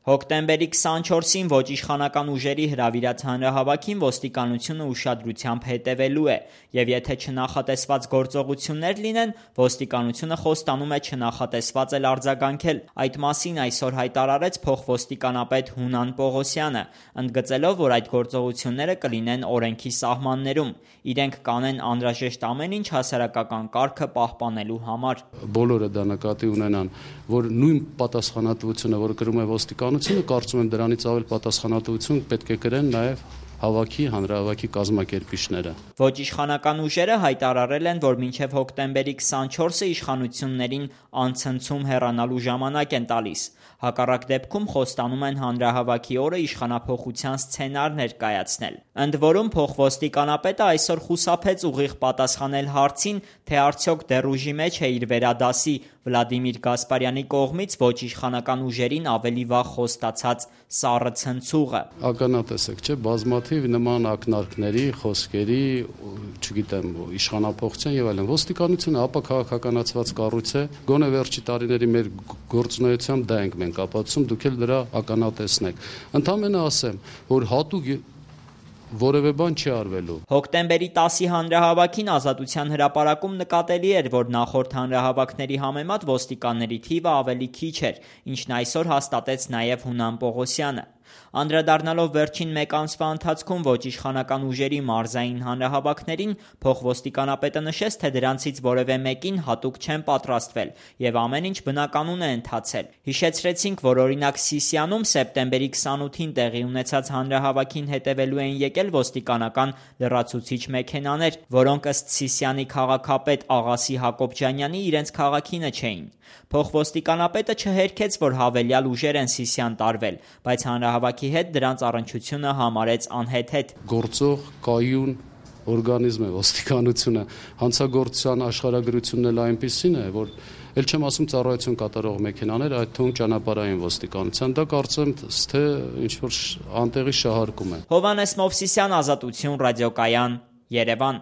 Հոկտեմբերի 24-ին ոչ իշխանական ուժերի հրավիրած հանրահավաքին ոստիկանությունը ուշադրությամբ հետևելու է, եւ եթե չնախատեսված գործողություններ լինեն, ոստիկանությունը խոստանում է չնախատեսված էլ արձագանքել։ Այդ մասին այսօր հայտարարեց փոխոստիկանապետ Հունան Պողոսյանը, ընդգծելով, որ այդ գործողությունները կլինեն օրենքի սահմաններում։ Իրենք կանեն անհրաժեշտ ամեն ինչ հասարակական կարգը պահպանելու համար։ Բոլորը դա նկատի ունենան, որ նույն պատասխանատվությունը, որը կրում է ոստիկանությունը, կարծում եմ դրանից ավել պատասխանատվություն պետք է կրեն նաև հանրահավաքի կազմակերպիչները։ Ոչ իշխանական ուժերը հայտարարել են, որ մինչև հոկտեմբերի 24-ը իշխանություններին անցնցում հեռանալու ժամանակ են տալիս։ Հակառակ դեպքում խոստանում են հանրահավաքի օրը իշխանափոխության սցենար ներկայացնել։ Ընդ որում փոխոստիկանապետը այսօր խուսափեց ուղիղ պատասխանել հարցին, թե արդյոք դեռ ուժի մեջ է իր վերադասի Վլադիմիր Գասպարյանի կողմից ոչ իշխանական ուժերին ավելի վաղ խոստացած սառը ցնցուղը։ Ականատես եք, չէ՞, բազմաթիվ նման ակնարկների, խոսքերի, չգիտեմ, իշխանափոխության եւ այլն։ Ոստիկանությունը ապաքաղաքականացված կառույց է, գոնե վերջի տարիների մեր գործունեությամբ դա ենք մենք ապացուցում, դուք էլ դրա ականատեսն եք։ Ընդամենը ասեմ, որ հատուկ որևէ բան չի արվելու։ Հոկտեմբերի 10-ի հանրահավաքին Ազատության հրապարակում նկատելի էր, որ նախորդ հանրահավաքների համեմատ ոստիկանների թիվը ավելի քիչ էր, ինչն այսօր հաստատեց նաև Հունան Պողոսյանը։ Անդրադառնալով վերջին մեկ ամսվա ընթացքում ոչ իշխանական ուժերի մարզային հանրահավաքներին, փոխոստիկանապետը նշեց, թե դրանցից որևէ մեկին հատուկ չեն պատրաստվել եւ ամեն ինչ բնականon է ընթացել։ Հիշեցրեցինք, որ օրինակ Սիսիանում սեպտեմբերի 28-ին տեղի ունեցած հանրահավաքին հետևելու էին եկել ոստիկանական լրացուցիչ մեքենաներ, որոնք ըստ Սիսիանի քաղաքապետ Աղասի Հակոբյանյանի իրենց քաղաքինը չէին։ Փոխոստիկանապետը չհերքեց, որ հավելյալ ուժեր են Սիսիան տարվել, բայց հանրահավաքի հետ դրանց առնչությունը համարեց անհեթեթ։ Գործող կայուն օրգանիզմ է ոստիկանությունը, հանցագործության աշխարհագրությունն էլ այնպիսին է, որ ել չեմ ասում ծառայություն կատարող մեքենաներ, այդ թվում ճանապարհային ոստիկանության, դա կարծեմ թե ինչ-որ անտեղի շահարկում է։ Հովհաննես Մովսիսյան, Ազատություն ռադիոկայան, Երևան։